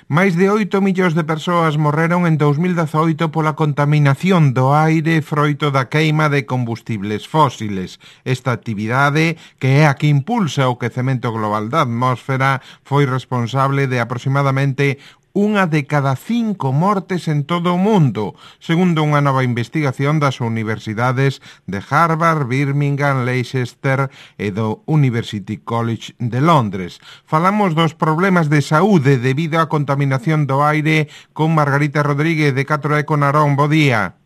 Máis de 8 millóns de persoas morreron en 2018 pola contaminación do aire froito da queima de combustibles fósiles. Esta actividade, que é a que impulsa o quecemento global da atmósfera, foi responsable de aproximadamente unha de cada 5 mortes en todo o mundo, segundo unha nova investigación das universidades de Harvard, Birmingham, Leicester e do University College de Londres. Falamos dos problemas de saúde debido á contaminación do aire con Margarita Rodríguez de 4Eco Narón. Bo día.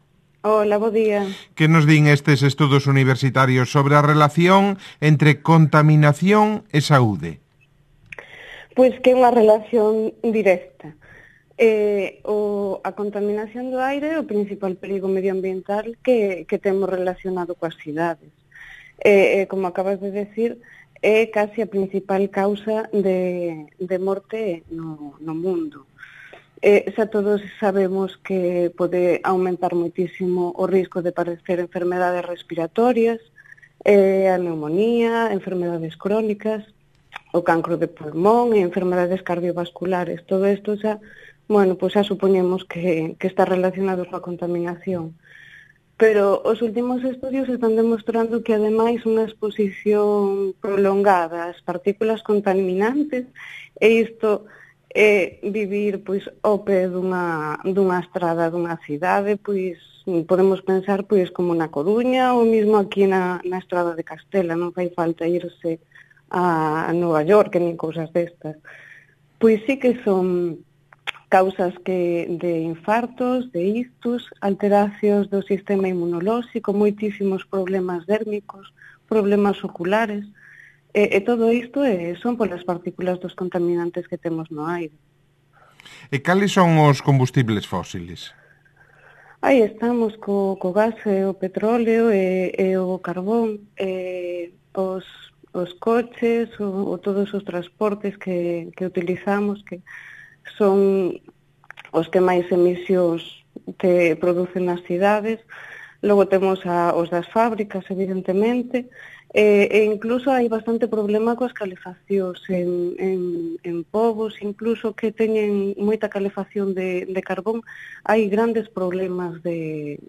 Hola, bo día. Que nos din estes estudos universitarios sobre a relación entre contaminación e saúde? Pois que é unha relación directa. A contaminación do aire é o principal perigo medioambiental que temos relacionado coas cidades. Como acabas de decir, é casi a principal causa de morte no mundo. Xa todos sabemos que pode aumentar moitísimo o risco de padecer enfermedades respiratorias, a neumonía, enfermedades crónicas, o cancro de pulmón e enfermedades cardiovasculares. Todo isto xa, pois xa supoñemos que está relacionado coa contaminación. Pero os últimos estudios están demostrando que, ademais, unha exposición prolongada ás partículas contaminantes, e isto é vivir pois ao pé dunha estrada dunha cidade, pois podemos pensar pois como na Coruña ou mesmo aquí na estrada de Castela, non fai falta irse a Nova York nin cousas destas. Pois sí que son causas de infartos, de ictus, alteracións do sistema inmunolóxico, moitísimos problemas dérmicos, problemas oculares, e todo isto son polas partículas dos contaminantes que temos no aire. E cales son os combustibles fósiles? Aí estamos co gas e o petróleo e o carbón, os coches ou todos os transportes que utilizamos, que son os que máis emisións que producen nas cidades. Logo temos os das fábricas, evidentemente, e incluso hai bastante problema coas calefaccións en povos, incluso que teñen moita calefacción de carbón, hai grandes problemas de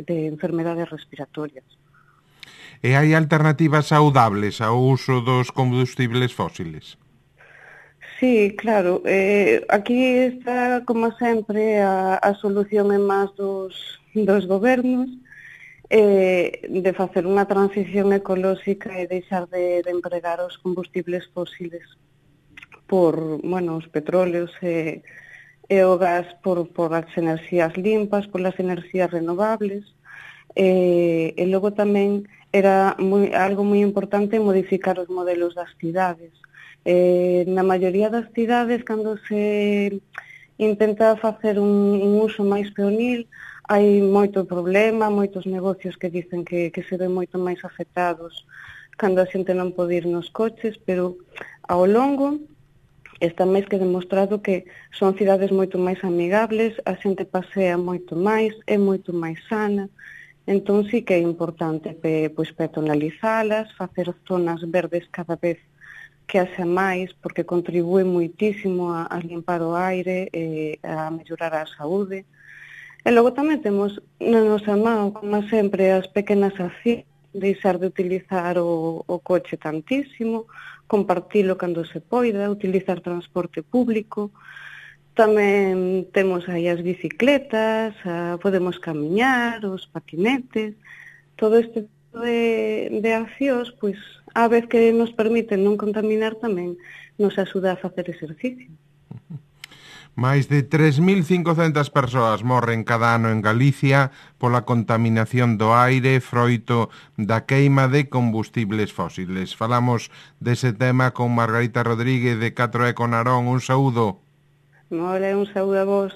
enfermedades respiratorias. E hai alternativas saudables ao uso dos combustibles fósiles? Sí, claro. Aquí está, como sempre, a solución en más dos gobernos, de facer unha transición ecolóxica e deixar de empregar os combustibles fósiles por, os petróleos e o gas por as enerxías limpas, por as enerxías renovables. E logo tamén era algo moi importante modificar os modelos das cidades. Na maioría das cidades, cando se intenta facer un uso máis peonil, hai moito problema, moitos negocios que dicen que se ven moito máis afectados cando a xente non pode ir nos coches, pero ao longo está máis que demostrado que son cidades moito máis amigables, a xente pasea moito máis, é moito máis sana. Entón sí que é importante pois peatonalizalas, facer zonas verdes cada vez que haxa máis, porque contribúe moitísimo a limpar o aire e a mellorar a saúde. E logo tamén temos na nosa man, como sempre, as pequenas accións, deixar de utilizar o coche tantísimo, compartilo cando se poida, utilizar transporte público. Tamén temos aí as bicicletas, podemos camiñar, os patinetes, todo este de accións, pois, a vez que nos permiten non contaminar, tamén nos axuda a facer exercicio. Máis de 3.500 persoas morren cada ano en Galicia pola contaminación do aire froito da queima de combustibles fósiles. Falamos dese tema con Margarita Rodríguez de 4Eco Narón. Un saúdo. Un saúdo a vos.